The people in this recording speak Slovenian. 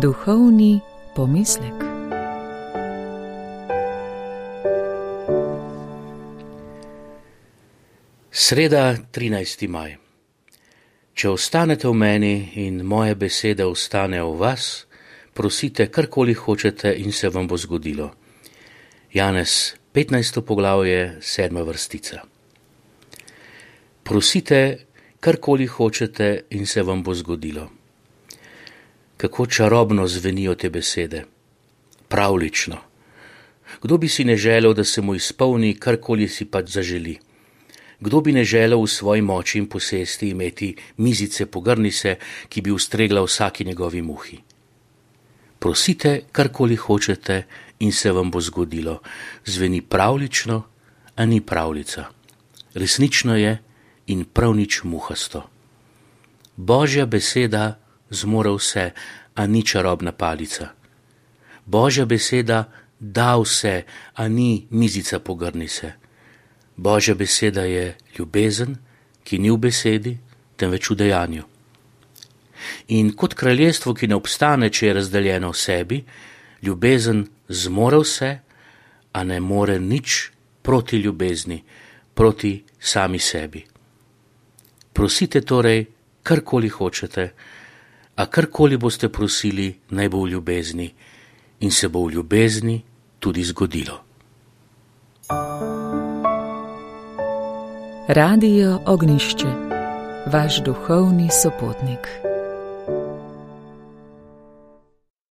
Duhovni pomislek. Sreda, 13. maj. Če ostanete v meni in moje besede ostanejo v vas, prosite karkoli hočete in se vam bo zgodilo. Janez, 15. poglavje, 7. vrstica. Prosite karkoli hočete in se vam bo zgodilo. Kako čarobno zvenijo te besede. Pravlično. Kdo bi si ne želel, da se mu izpolni karkoli si pač zaželi? Kdo bi ne želel v svoji moči in posesti imeti mizice pogrnise, ki bi ustregla vsaki njegovi muhi? Prosite karkoli hočete in se vam bo zgodilo. Zveni pravlično, a ni pravljica. Resnično je in prav nič muhasto. Božja beseda zmore vse, a ni čarobna palica. Božja beseda da vse, a ni mizica pogrnise. Božja beseda je ljubezen, ki ni v besedi, temveč v dejanju. In kot kraljestvo, ki ne obstane, če je razdeljeno v sebi, ljubezen zmore vse, a ne more nič proti ljubezni, proti sami sebi. Prosite torej, karkoli hočete, a karkoli boste prosili, naj bo v ljubezni in se bo v ljubezni tudi zgodilo. Radio Ognjišče, vaš duhovni sopotnik.